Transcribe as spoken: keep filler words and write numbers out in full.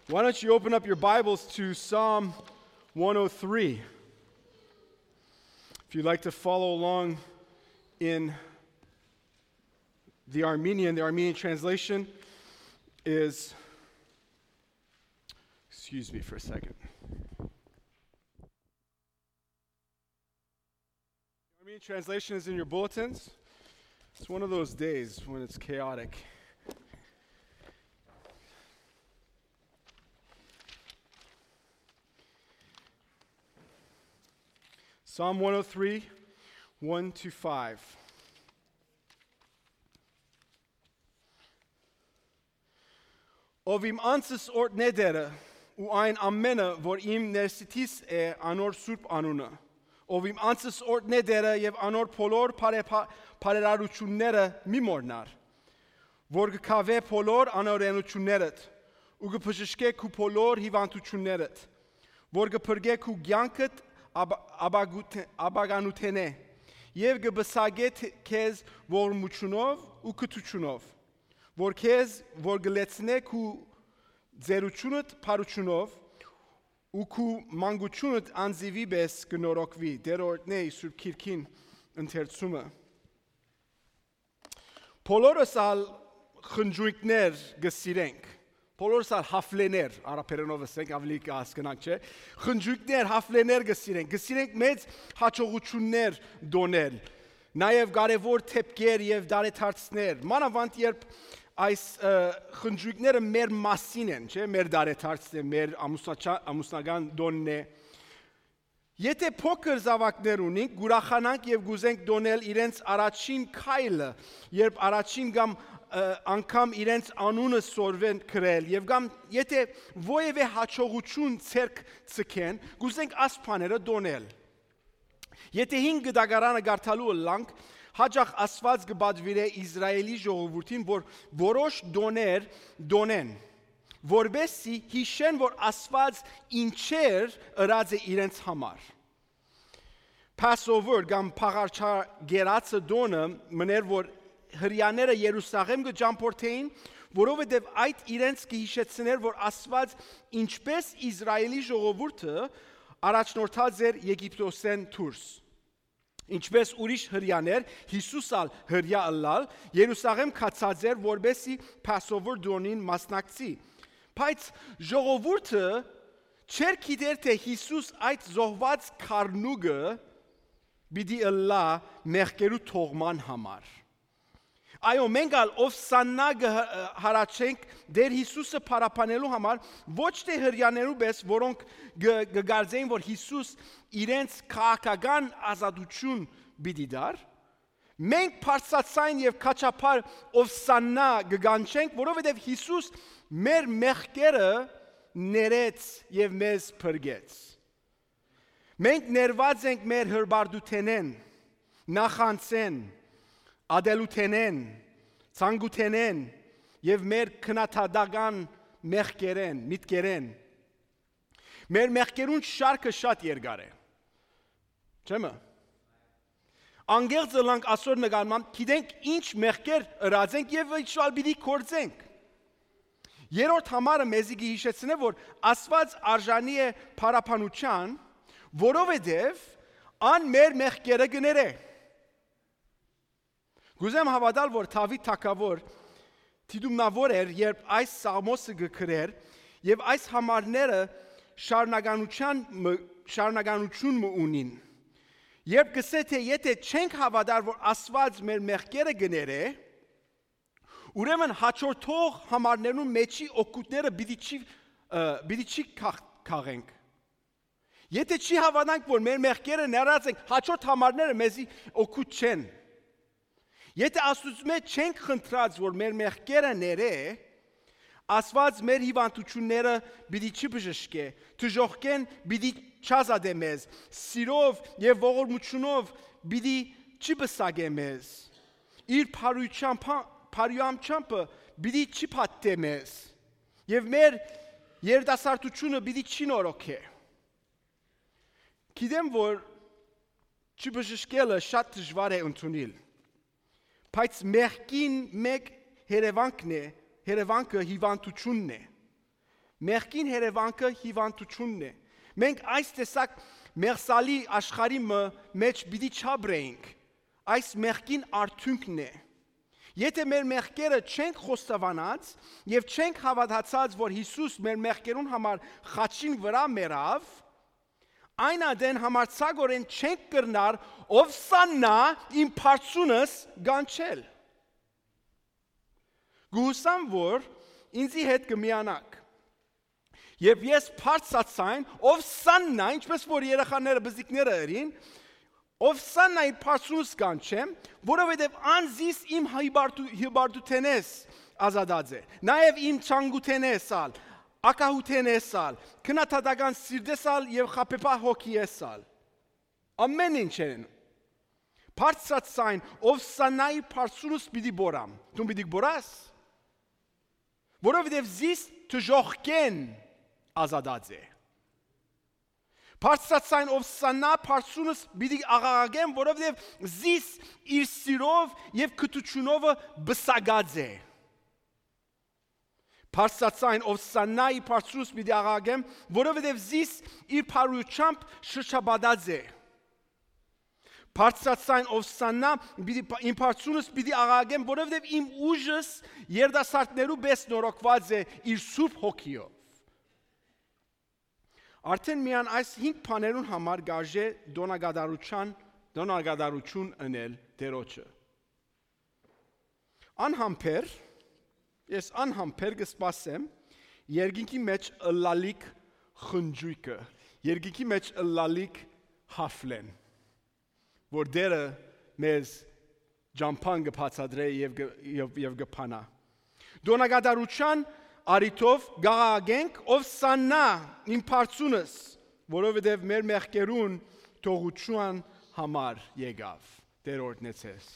Why don't you open up your Bibles to Psalm one oh three? If you'd like to follow along in the Armenian, the Armenian translation is, excuse me for a second. Armenian translation is in your bulletins. It's one of those days when it's chaotic. Psalm one oh three, one to five. Ով իմ անձս օրհնէ Տէրը, ու այն ամէնը, որ իմ ներսիդիս է, անոր սուրբ անունը։ Ով իմ անձս օրհնէ Տէրը եւ անոր բոլոր բարեփա-, բարերարությունները մի մոռնար, որ կը քաւէ բոլոր անօրենություններդ ու կը բժշկէ քու բոլոր հիվանդություններդ, որ կը փրկէ քու կեանքդ ապ-, ապագութ-, ապագանութենէ եւ կը պսակէ թ-, քեզ ողորմութիւնով ու կրթութիւնով, որ քեզ, որ կը լեցնէ քու ծերութիւնդ փառութիւնով ու քու մանկութիւնդ անձիւի պէս կը նորոգուի, Տէր օրհնէ իր Սուրբ Գիրքին ընթերցումը։ Բոլորս ալ խնջոյկներ կը սիրենք, բոլորս ալ հաֆլեներ, արաբերենով ասենք, աւելի կը հասկնանք, չէ՞։ Խնջոյկներ, հաֆլեներ կը սիրենք, կը սիրենք մեծ յաջողութիւններ տոնել, նաեւ կարեւոր դէպքեր եւ տարեդարձներ, մանաւանդ երբ այս, ը, խնջոյկները մեր մասին են, չէ՞, մեր տարեդարձն է, մեր ամուսնաչա-, ամուսնական տոնն է։ Եթէ փոքր զաւակներ ունինք, կ'ուրախանանք եւ կ'ուզենք տոնել իրենց առաջին քայլը, երբ առաջին կամ, ը, անգամ իրենց անունը սորվեն գրել, եւ կամ եթէ որեւէ յաջողութիւն ձեռք ձգեն, կ'ուզենք աս բաները տոնել։ Եթէ հին կտակարանը կարդալու ըլլանք, յաճախ Աստուած կը պատուիրէ Իսրայէլի ժողովուրդին, որ որոշ տոներ տոնեն, որպէս զի յիշեն, որ Աստուած ինչեր ըրած է իրենց համար։ Passover կամ Փաղարչագերածը տոնը մըն էր, որ Հրեաները Երուսաղէմ կը ճամբորդէին, որովհետեւ այդ իրենց կը յիշեցնէր, որ Աստուած ինչպէս Իսրայէլի ժողովուրդը առաջնորդած էր Եգիպտոսէն դուրս, ինչպէս ուրիշ Հրեաներ, Յիսուս ալ Հրեայ ըլլալ, Երուսաղէմ գացած էր, որպէս զի Passover տոնին մասնակցի։ Բայց ժողովուրդը չէր գիտեր, թէ Յիսուս այդ զոհուած խառնուկը պիտի ըլլայ մեղքերու թողման համար։ Այո, մենք ալ Ովսաննա կը հը-, հառաչենք Տէր Յիսուսը փառաբանելու համար, ոչ թէ Հրեաներու պէս, որոնք կը, կը կարծէին, որ Յիսուս իրենց քաղաքական ազատութիւն պիտի տար։ Մենք բարձրաձայն եւ քաչափար Ովսաննա կը կանչենք, որովհետեւ Յիսուս մեր մեղքերը ներեց եւ մեզ փրկեց։ Մենք ներուած ենք մեր հրպարտութենէն, նախանձէն, ատելութենէն, ցանկութենէն եւ մեր քննադատական մեղքերէն, միտքերէն։ Մեր մեղքերուն շարքը շատ երկար է։ Չէ՞ մը։ Անկեղծ ըլլանք, ասոր նկատմամբ գիտենք ինչ մեղքեր ըրած ենք եւ ինչ ալ պիտի գործենք։ Երրորդ համարը մեզի կը յիշեցնէ, որ Աստուած արժանի է փառաբանութեան, որովհետեւ ան մեր մեղքերը կը ներէ։ Կ'ուզեմ հաւատալ, որ Դաւիթ թագաւոր դիտումնաւոր էր, երբ այս սաղմոսը կը գրէր, եւ այս համարները շարունականության մը, շարունականություն մը ունին։ Երբ կ'ըսէ, թէ եթէ չենք հաւատար, որ Աստուած մեր մեղքերը կը ներէ, ուրեմն յաջորդող համարներուն մէջի օգուտները պիտի չի, ը, պիտի չի քաղ-, քաղենք։ Եթէ չի հաւատանք, որ մեր մեղքերը ներած ենք, յաջորդ համարները մեզի օգուտ չեն։ Եթէ Աստուծմէ չենք խնդրած, որ մեր մեղքերը ներէ, Աստուած մեր հիվանդությունները պիտի չի բժշկէ, դժոխքէն պիտի չազատէ մեզ, սիրով եւ ողորմութիւնով պիտի չի պսակէ մեզ, իր բարոյչամբը, բարոյամչամբը պիտի չի փաթթէ մեզ, եւ մեր երիտասարդութիւնը պիտի չի նորոգէ։ Գիտեմ, որ չբժշկելը շատ դժուար է ընդունիլ, բայց մեղքին մէկ երևանքն է, երևանքը հիվանդությունն է։ Մեղքին երևանքը հիւանդութիւնն է։ Մենք այս տեսակ մեղսալի աշխարհի մը մէջ պիտի չապրենք։ Այս մեղքին արդիւնքն է։ Եթէ մեր մեղքերը չենք խոստովանած եւ չենք հաւատացած, որ Յիսուս մեր մեղքերուն համար խաչին վրայ մեռաւ, այն ատեն համարձակօրէն չենք կրնար «Ովսաննա, իմ փարցունս» կանչել։ Կ'ուսամ, որ ինծի հետ կը միանաք։ Երբ ես բարձրաձայն «Ովսաննա», ինչպես որ երեխաները, բզիկները ըրին, «Ովսաննա, իմ փարցունս» կանչեմ, որովհետեւ ան զիս իմ հիբարդու-, հիբարդութենէս ազատած է, նաեւ իմ ցանկութենէս ալ, ակահութենէս ալ, քննադատական սիրտէս ալ եւ խաբեբայ հոգիէս ալ։ Ամէն ինչէն։ Բարձրաձայն «Ովսաննա, իմ փարցունս» պիտի բորամ։ Դուն պիտի բորաս, որովհետեւ զիս դժոխքէն ազատած է։ Բարձրաձայն «Ովսաննա, փարցունս» պիտի աղաղակեմ, որովհետեւ զիս իր սիրով եւ քթութիւնովը պսակած է։ Բարձրաձայն «Ովսաննա, իմ փարցունս» պիտի աղաղակեմ, որովհետեւ զիս իր բարութեամբ շրջապատած է։ Բարձրաձայն «Ովսաննա, պիտի, իմ փարցունս» պիտի աղաղակեմ, որովհետեւ իմ ուժս երիտասարդներու պէս նորոգուած է իր Սուրբ Հոգիով։ Արդէն միայն այս հինգ բաներուն համար կ'արժէ տօնակատարութեան, տօնակատարութիւն ընել Տէրոջը։ Անհամբեր, ես անհամբեր կը սպասեմ երկինքի մէջ ըլլալիք խնճոյքը, երկինքի մէջ ըլլալիք հաֆլեն, որ Տէրը մեզ ճամբան կը բացատրէ եւ կը, եւ, եւ կը բանայ։ Տօնակատարութեան առիթով կ'աղաղակենք. «Ովսաննա, իմ փարցունս», որովհետեւ մեր մեղքերուն թողութեան համար եկաւ Տէր օրհնեցես։